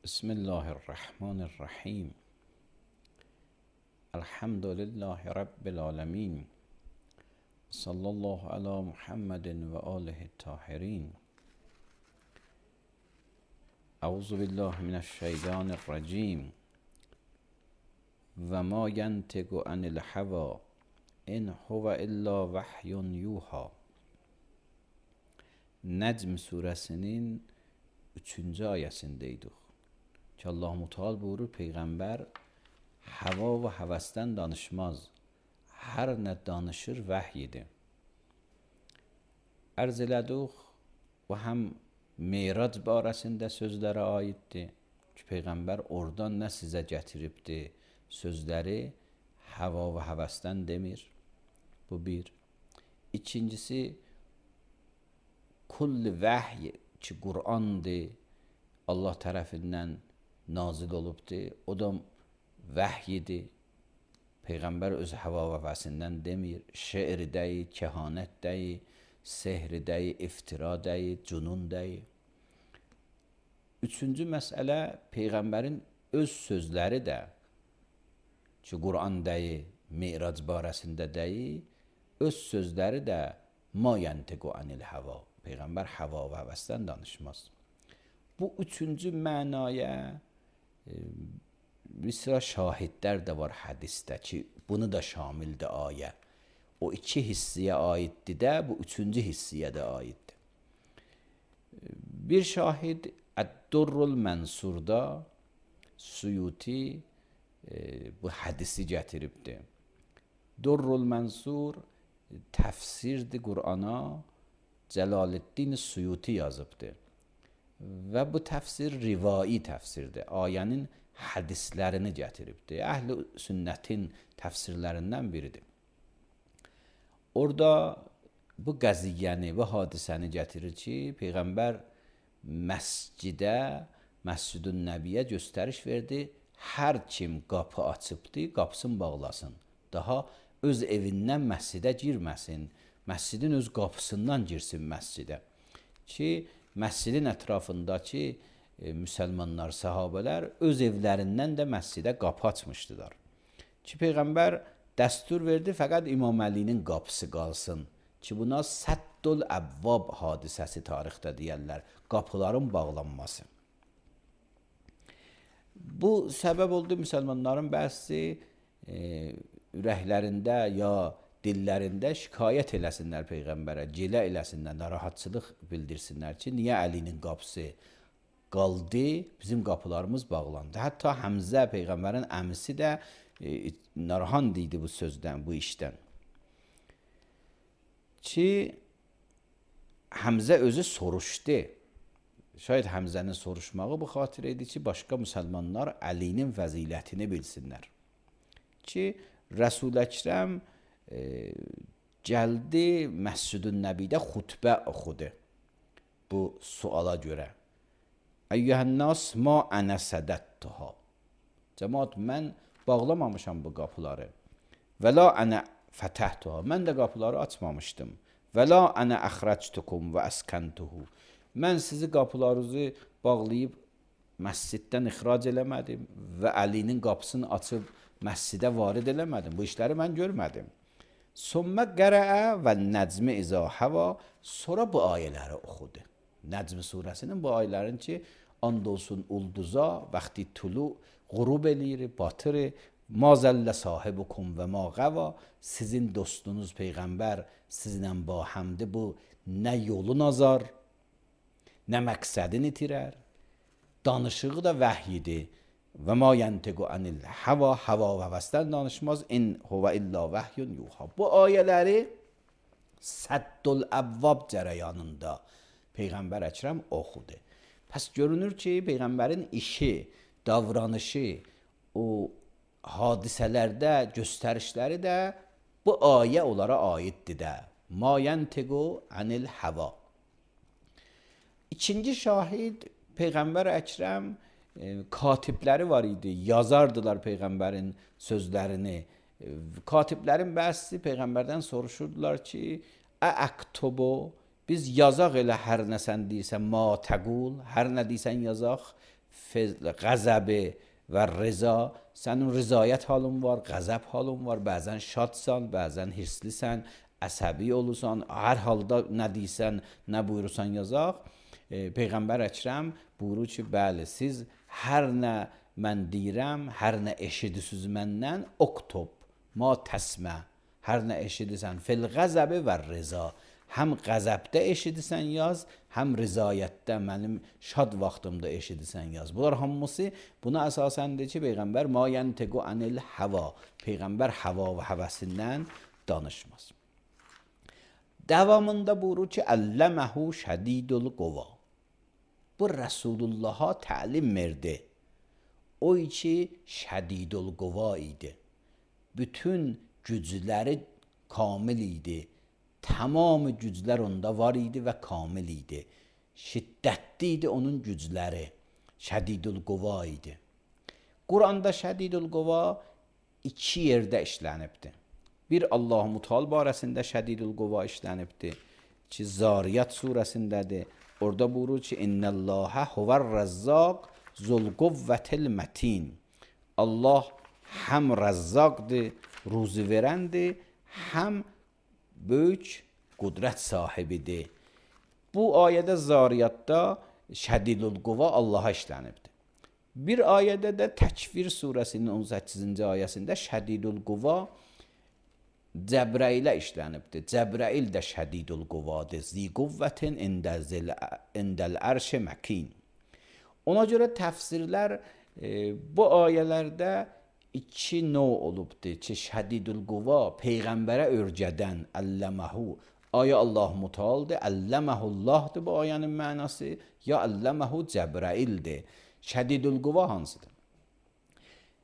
بسم الله الرحمن الرحیم. الحمد لله رب العالمین. صلی الله علی محمد و آله الطاهرین. اعوذ بالله من الشیطان الرجیم. و ما ینطق عن الهوی ان هو الا وحی یوحی. Necm suresinin 3-cü ayəsindəydik ki, Allah-u Teala buyurur, Peyğəmbər hava və həvəsdən danışmaz, hər nə danışır vəhyidir. Ərz elədik, bu həm Meyrac barəsində sözlərə aiddir ki, Peyğəmbər oradan nə sizə gətiribdir, sözləri hava və həvəsdən demir. Bu bir. İkincisi, kull vəhy ki, Qur'andır, Allah tərəfindən nazil olubdur, o da vəhyidir. Peyğəmbər öz hava və həvəsindən demir, şeir deyil, kehanət deyil, sehr deyil, iftira deyil, cunun deyil. Üçüncü məsələ, Peyğəmbərin öz sözləri də ki, Qur'an deyil, Meyrac barəsində deyil, öz sözləri də ma yantiqu anil hava. Peyğəmbər hava və həvəsdən danışmaz. Bu üçüncü mənaya bir sıra şahidlər də var hədisdə ki, bunu da şamildir ayə. O iki hissiyə aiddir də, bu üçüncü hissiyə də aiddir. Bir şahid Əd-Durrul Mənsurda Suyuti bu hədisi gətiribdir. Durrul Mənsur təfsirdir Qur'ana, Cəlaləddin Suyuti yazıbdır. Və bu təfsir rivai təfsirdir. Ayənin hədislərini gətiribdir. Əhl-i sünnətin təfsirlərindən biridir. Orada bu qəziyyəni, bu hadisəni gətirir ki, Peyğəmbər məscidə, Məscid-ün Nəbiyyə göstəriş verdi. Hər kim qapı açıbdır, qapısını bağlasın. Daha öz evindən məscidə girməsin. Məscidin öz qapısından girsin məscidə. Ki, məscidin ətrafındakı müsəlmanlar, sahabələr öz evlərindən də məscidə qapı açmışdılar. Ki, Peyğəmbər dəstur verdi, fəqət İmam Əlinin qapısı qalsın. Ki, buna Səddül Əvvab hadisəsi tarixdə deyərlər, qapıların bağlanması. Bu səbəb oldu müsəlmanların bəzi ürəklərində ya dillərində şikayət eləsinlər Peyğəmbərə, gilə eləsinlər, narahatçılıq bildirsinlər ki, niyə Əlinin qapısı qaldı, bizim qapılarımız bağlandı. Hətta Həmzə, Peyğəmbərin əmisi də narahat idi bu sözdən, bu işdən. Ki, Həmzə özü soruşdu. Şayad Həmzənin soruşmağı bu xatir idi ki, başqa müsəlmanlar Əlinin fəzilətini bilsinlər. Ki, Rəsul Əkrəm gəldi Məscid-ün Nəbidə xutbə oxudu bu suala görə. Əyyuhənnas ma ənə sədəttuha. Cəmaat, mən bağlamamışam bu qapıları. Və la ənə fətəhtuha. Mən də qapıları açmamışdım. Və la ənə əxrəctukum və əskəntuhu. Mən sizi qapılarınızı bağlayıb məsciddən ixrac eləmədim və Əlinin qapısını açıb məscidə varid eləmədim. Bu işləri mən görmədim. Sümmə qərəə və Nəcmi izə həva. Sonra bu ayələri oxudu. Nəcm surəsinin bu ayələrin ki, and olsun ulduza, vaxti tulu, qurub eləyir, batır, Mazəllə sahibukum və ma qəva, sizin dostunuz Peyğəmbər sizlə bahamdır, bu nə yolun azar, nə məqsədini itirər, danışığı da vəhyidir. Və ma yəntiqu anil hava, hava və həvəsdən danışmaz, in huvə illa vəhyun yuha. Bu ayələri Səddül Əvvab cərəyanında Peyğəmbər Əkrəm oxudu. Pəs görünür ki, Peyğəmbərin işi, davranışı, o hadisələrdə göstərişləri də bu ayə onlara aiddir də. Ma yəntiqu anil hava. İkinci şahid Peyğəmbər Əkrəm katibləri var idi, yazardılar Peyğəmbərin sözlərini. Katiblərin bəzisi Peyğəmbərdən soruşurdular ki, əəktubu, biz yazaq elə hər nə sən deyirsən, ma təqul, hər nə deyirsən yazaq, qəzəbi və rıza, sənin rızayət halın var, qəzəb halın var, bəzən şadsan, bəzən hirslisən, əsəbi olursan, hər halda nə deyirsən, nə buyurursan yazaq. Peyğəmbər Əkrəm buyurur ki, bəli, siz hər nə mən deyirəm, hər nə eşidirsiz məndən, oktub, ma təsmə, hər nə eşidirsən, fil qəzəbi və rıza, həm qəzəbdə eşidirsən yaz, həm rızayətdə, mənim şad vaxtımda eşidirsən yaz. Bunlar hamısı buna əsasəndir ki, Peyğəmbər ma yəntiqu anil hava, Peyğəmbər hava və həvəsindən danışmaz. Davamında buyurur ki, əlləməhu şədidul qova. Bu Rəsulullah'a təlim verdi. O ki şədidul qova idi. Bütün gücləri kamil idi. Tamam güclər onda var idi və kamil idi. Şiddətli idi onun gücləri. Şədidul qova idi. Quranda şədidul qova iki yerdə işlənibdir. Bir Allah-u Mutal barəsində şədidul qova işlənibdir ki, Zariyat surəsindədir. Orada buyurur ki, İnnəllâhə huvər-rəzzaq zul-quvvətil mətin. Allah həm rəzzaqdır, ruzi verəndir, həm böyük qudrət sahibidir. Bu ayədə Zariyatda şədidul quva Allaha işlənibdir. Bir ayədə də Təkvir surəsinin 18-ci ayəsində şədidul quva Cəbrailə işlənibdir. Cəbrail də şədidul quvadır. Zi quvvətin indəl ərşi məkin. Ona görə təfsirlər bu ayələrdə iki növ olubdur ki, şədidul quva Peyğəmbərə örgədən əlləməhu. Ayə Allah mutaldır, əlləməhullahdır bu ayənin mənası, ya əlləməhu Cəbraildir. Şədidul quva hansıdır?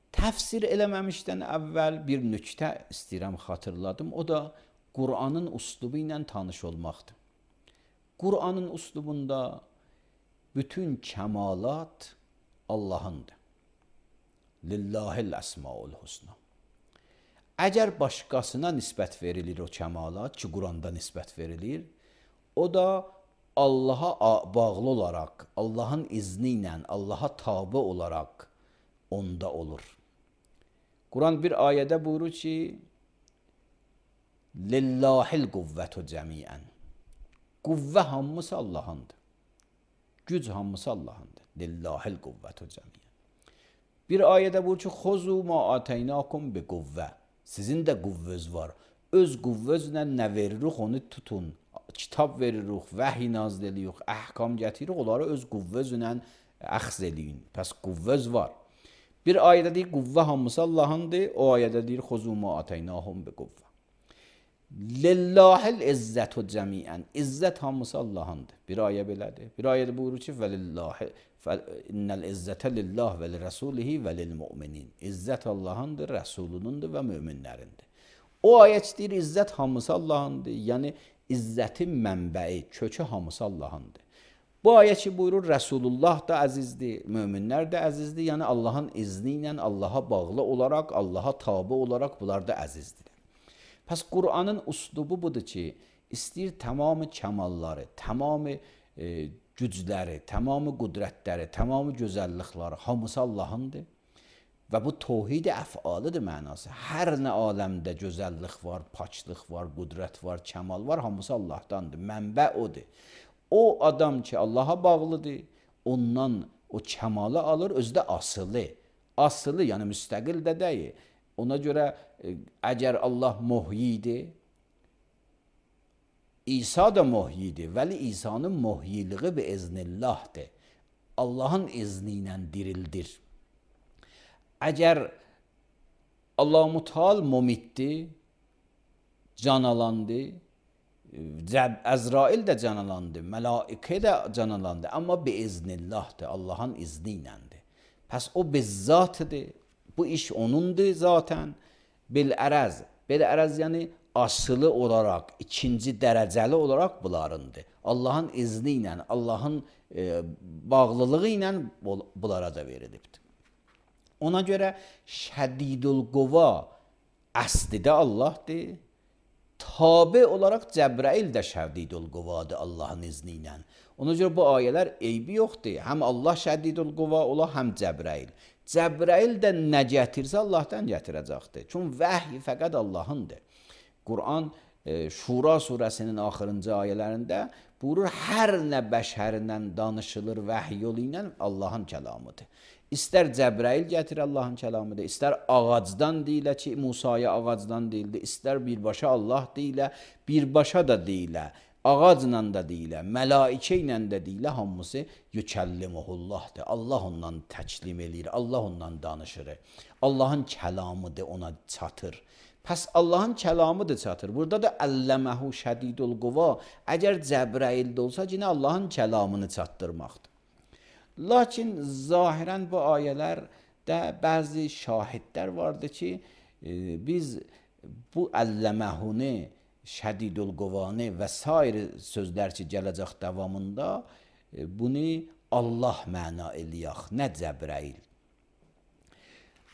Təfsir eləməmişdən əvvəl bir nüktə istəyirəm xatırladım. O da Qur'anın uslubu ilə tanış olmaqdır. Qur'anın uslubunda bütün kəmalat Allahındır. Lillahil əsmaul husna. Əgər başqasına nisbət verilir o kəmalat ki, Qur'anda nisbət verilir, o da Allaha bağlı olaraq, Allahın izni ilə, Allaha tabi olaraq onda olur. Quran bir ayədə buyurur ki, Lillahil quvvətu cəmiən. Quvvə hamısı Allahındır. Güc hamısı Allahındır. Lillahil quvvətu cəmiən. Bir ayədə buyurur ki, Xozu ma atəynakum bi quvvə. Sizin də quvvəz var. Öz quvvəzlə nə veririk, onu tutun. Kitab veririk, vəhiy nazil edirik, əhkam gətiririk, onları öz quvvəzlə əxz eləyin. Pəs quvvəz var. Bir ayədə deyir, quvvə hamısı Allahındır. O ayədə deyir, Xozu ma ataynahum bi quvvə. Lillahil izzətu cəmiən. İzzət hamısı Allahındır. Bir ayə belədir. Bir ayədə buyurur ki, innəl izzətə lillah və lirəsulihi və lilmüminin. İzzət Allahındır, Rəsulunundur və möminlərindir. O ayət deyir, izzət hamısı Allahındır. Yəni, izzətin mənbəyi, kökü hamısı Allahındır. Bu ayə ki, buyurur, Rəsulullah da əzizdir, möminlər də əzizdir. Yəni, Allahın izni ilə Allaha bağlı olaraq, Allaha tabi olaraq bunlar da əzizdir. Pəs Qur'anın uslubu budur ki, istəyir tamamı kəmalları, tamamı gücləri, tamamı qudrətləri, tamamı gözəllikləri hamısı Allahındır. Və bu tohid-i əf'alıdır mənası. Hər nə aləmdə gözəllik var, paçlıq var, qudrət var, kəmal var, hamısı Allahdandır. Mənbə odur. O adam ki, Allaha bağlıdır, ondan o kəmalı alır, özü də asılı. Asılı, yəni müstəqil də deyil. Ona görə əgər Allah muhyidir, İsa da muhyidir, vəli İsa'nın muhyiliği bi iznillahdır. Allahın izni ilə dirildir. Əgər Allah-u Teala mumitdir, canalandı, Əzrail də canalandı, mələikə də canalandı, amma bi iznillahdır, Allahın izni iləndir. Pəs o bizzatıdır, bu iş onundur zaten. Bil-ərəz, bil-ərəz yəni asılı olaraq, ikinci dərəcəli olaraq bunlarındır. Allahın izni ilə, Allahın bağlılığı ilə bunlara da verilibdir. Ona görə şədidul quva əsli də Allahdır. Tabi olaraq Cəbrail də şədidul quvadır Allahın izni ilə. Ona görə bu ayələr eybi yoxdur. Həm Allah şədidul quva ola, həm Cəbrail. Cəbrail də nə gətirsə Allahdan gətirəcəkdir. Çünki vəhy fəqət Allahındır. Quran Şura surəsinin axırıncı ayələrində buyurur, hər nə bəşərindən danışılır vəhy yolu ilə Allahın kəlamıdır. İstər Cəbrail gətir Allahın kəlamıdır, istər ağacdan deyilə ki, Musaya ağacdan deyildi, istər birbaşa Allah deyilə, birbaşa da deyilə, ağacla da deyilə, mələikə ilə də deyilə, hamısı yükəllimuhullahdır. Allah ondan təklim eləyir, Allah ondan danışır. Allahın kəlamıdır, ona çatır. Pəs Allahın kəlamıdır çatır. Burada da əlləməhu şədidul quva. Əgər Cəbraildə olsa, yine Allahın kəlamını çatdırmaqdır. Lakin zahirən bu ayələrdə bəzi şahidlər vardır ki, biz bu əlləməhuni, şədidul quvanı və sair sözlər ki, gələcək davamında bunu Allah məna eləyək, nə Cəbrail.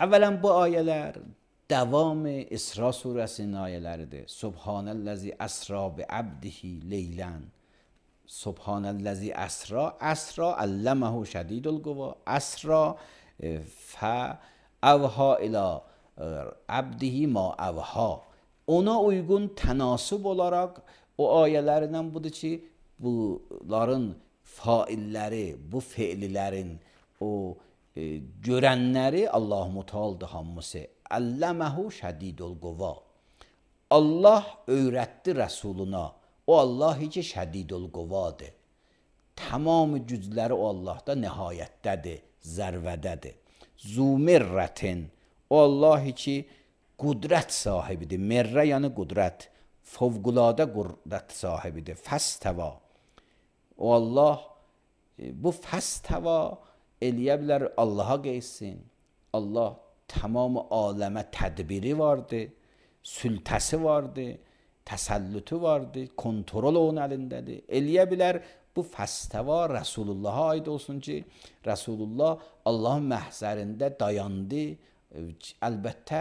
Əvvələn bu ayələr davamı İsra surəsinin ayələridir. Subhanəllazi əsra bi abdihi leylən. Subhanəllazi əsra, əsra əlləməhu şədidul quva, əsra fəəvha ilə abdihi ma əvha. Ona uyğun tənasıb olaraq o ayələrlə budur ki, bunların failləri, bu fe'lilərin o görənləri Allah-u Teala'dır hamısı. Əlləməhu şədidul quva. Allah öyrətdi Rəsuluna. O Allah ki şədidul quvadır. Tamam gücləri o Allahda nihayətdədir, zərvədədir. Zumirrətin. O Allah ki qudrət sahibidir. Merrə yəni qudrət. Fövqüladə qudrət sahibidir. Fəstəva. O Allah bu fəstəva eləyə bilər, Allaha qeysin. Allah tamam aləmə tədbiri vardır, sültəsi vardır, təsəllütü vardır, kontrol onun əlindədir. Eləyə bilər, bu fəstəva Rəsulullah'a aid olsun ki, Rəsulullah Allahın məhzərində dayandı. Əlbəttə,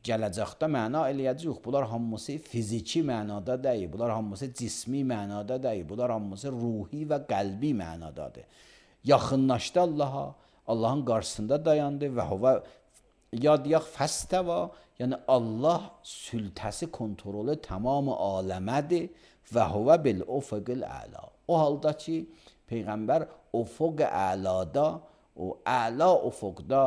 gələcəkdə məna eləyəcək. Bunlar hamısı fiziki mənada deyil, bunlar hamısı cismi mənada deyil, bunlar hamısı ruhi və qəlbi mənadadır. Yaxınlaşdı Allaha, Allahın qarşısında dayandı və hava yadiyaq fəstəva, yəni Allah sültəsi kontrolü tamamı aləmədir və huvə bil ufuqil əla. O halda ki, Peyğəmbər ufuq əlada, o əla ufuqda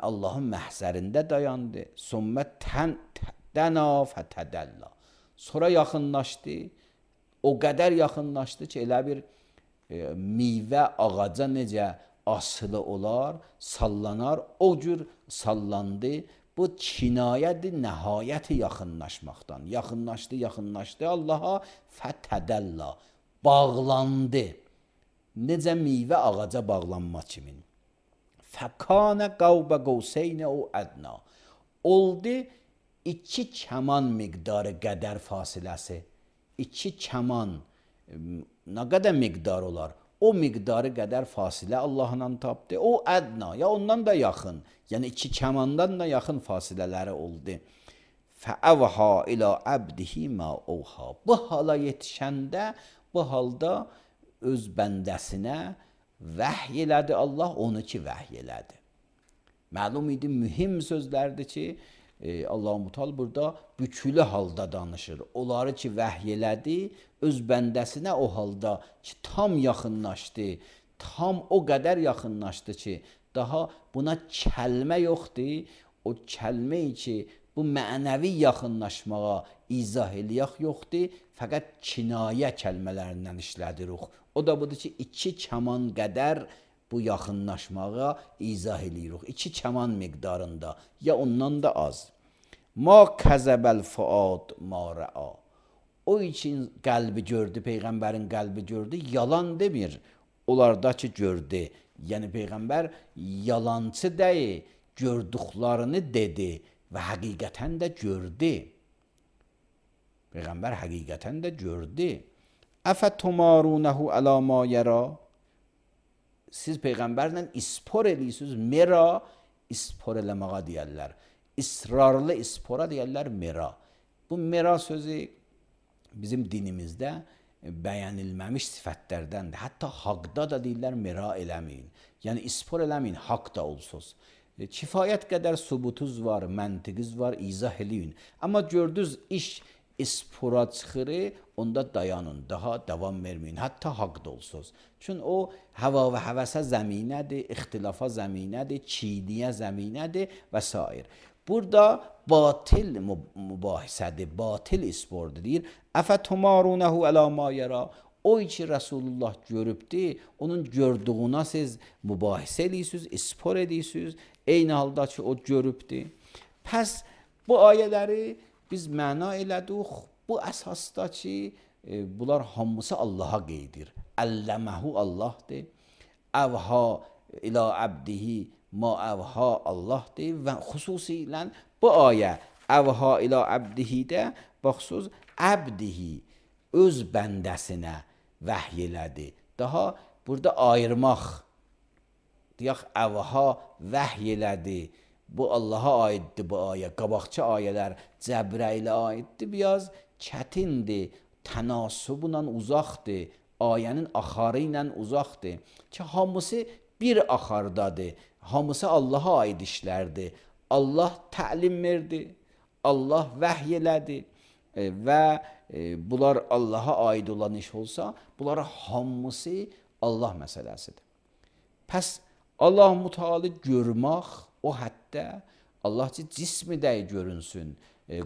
Allahın məhzərində dayandı. Sümmə dəna fətədəllə. Sonra yaxınlaşdı, o qədər yaxınlaşdı ki, elə bir meyvə ağaca necə asılı olar, sallanar, o cür sallandı. Bu kinayədir nəhayəti yaxınlaşmaqdan. Yaxınlaşdı Allaha fətədəllə. Bağlandı. Necə meyvə ağaca bağlanma kimin. Fəkanə qavbə qovseynə o ədna. Oldu iki kəman miqdarı qədər fasiləsi. İki kəman nə qədər miqdar olar? O miqdarı qədər fasilə Allahla tapdı. O ədna, ya ondan da yaxın. Yəni iki kəmandan da yaxın fasilələri oldu. Fəəvha ilə əbdihi ma ovha. Bu hala yetişəndə, bu halda öz bəndəsinə vəhy elədi Allah, onu ki vəhy elədi. Məlum idi, mühim sözlərdir ki, Allah-u Teala burada bükülü halda danışır. Onları ki vəhy elədi, öz bəndəsinə o halda ki tam yaxınlaşdı, tam o qədər yaxınlaşdı ki, daha buna kəlmə yoxdur, o kəlmə ki, bu mənəvi yaxınlaşmağa izah eləyək yoxdur, fəqət kinayə kəlmələrindən işlədirik. O da budur ki, 2 kaman qədər bu yaxınlaşmağa izah eləyirik. 2 kaman miqdarında, ya ondan da az. Ma kəzəbəl fuad ma rəa. O için qəlbi gördü, Peyğəmbərin qəlbi gördü, yalan demir. Onlardakı gördü. Yəni Peyğəmbər yalancı deyil, gördüklərini dedi və həqiqətən də gördü. Peyğəmbər həqiqətən də gördü. Əfətumarunehu əla ma yəra. Siz Peyğəmbərlə ispor edirsiniz. Mera ispor eləməyə deyərlər. İsrarlı ispora deyərlər mera. Bu mera sözü bizim dinimizdə bəyənilməmiş sifətlərdəndir. Hətta haqda da deyirlər mera eləməyin. Yəni ispor eləməyin, haqq da olsunuz. Kifayət qədər subutuz var, məntiqiz var, izah eləyin. Amma gördünüz iş ispora çıxır, onda dayanın, daha davam verməyin. Hətta haqq da olsunuz. Çünki o hava və həvəsə zəminədir, ixtilafa zəminədir, çiğniyə zəminədir və s. Burada batil mübahisədir, batil ispordur deyir. Əfətumarunehu əla ma yəra. O ki Resulullah görübdür, onun gördüğünə siz mübahisə edirsiniz, ispor edirsiniz. Eyni halda ki o görübdür. Pəs bu ayələri biz məna elədik. Bu əsasda ki bunlar hamısı Allaha qeydir. Əlləməhu Allahdır. Əvha ilə əbdihi ma əvha Allahdır və xüsusilə bu ayə əvha ilə əbdihidə baxsız əbdihi öz bəndəsinə vəhy elədi. Daha burada ayırmaq deyək əvha vəhy elədi. Bu Allaha aiddir bu ayə. Qabaqçı ayələr Cəbrailə aiddir. Biraz çətindir. Tənasubla uzaqdır. Ayənin axarı ilə uzaqdır. Ki hamısı bir axardadır. Hamısı Allaha aid işlərdir. Allah təlim verdi. Allah vəhy elədi. Və bunlar Allaha aid olan iş olsa, bunlar hamısı Allah məsələsidir. Pəs Allah Müteala görmək o həddə Allah ki cismi də görünsün.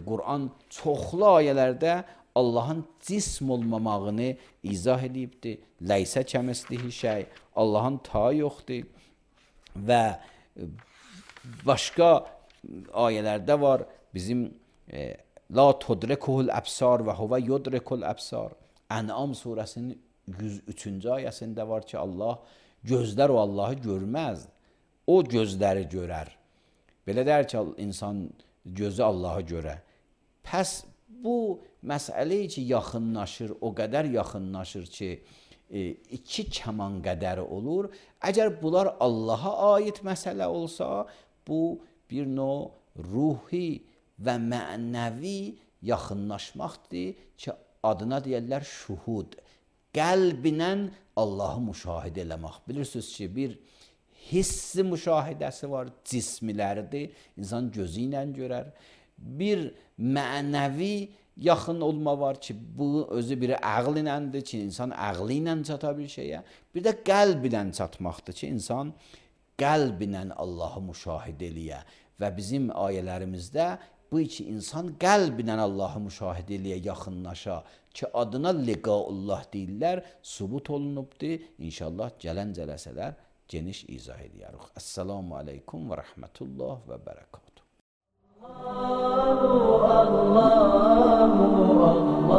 Quran çoxlu ayələrdə Allahın cism olmamağını izah edibdir. Ləysə kəmislihi şey. Allahın ta yoxdur. Və başqa ayələrdə var. Bizim la tudrikuhul əbsar və huvə yudrikul əbsar. Ən'am surəsinin 103-cü ayəsində var ki, Allah gözlər o Allahı görməz. O gözləri görər. Belə deyər ki, insan gözü Allahı görə. Pəs bu məsələ ki, yaxınlaşır, o qədər yaxınlaşır ki, 2 kaman qədəri olur. Əgər bunlar Allaha aid məsələ olsa, bu bir növ ruhi və mənəvi yaxınlaşmaqdır ki, adına deyərlər şuhud. Qəlblə Allahı müşahidə eləmək. Bilirsiniz ki, bir hissi müşahidəsi var, cismiləridir. İnsan gözü ilə görər. Bir mənəvi yaxın olma var ki, bu özü biri ağl iləndir ki, insan ağlı ilə çata bir şeyə. Bir də qəlb ilə çatmaqdır ki, insan qəlb ilə Allahı müşahidə eləyə. Və bizim ayələrimizdə bu iki insan qəlb ilə Allahı müşahidə eləyə, yaxınlaşa ki, adına liqaullah deyirlər, subut olunubdur. İnşallah gələn cələsələr geniş izah edərik. Əssalamu aleykum və rəhmətullah və bərəkatuhu. Allah, Allah, Allah.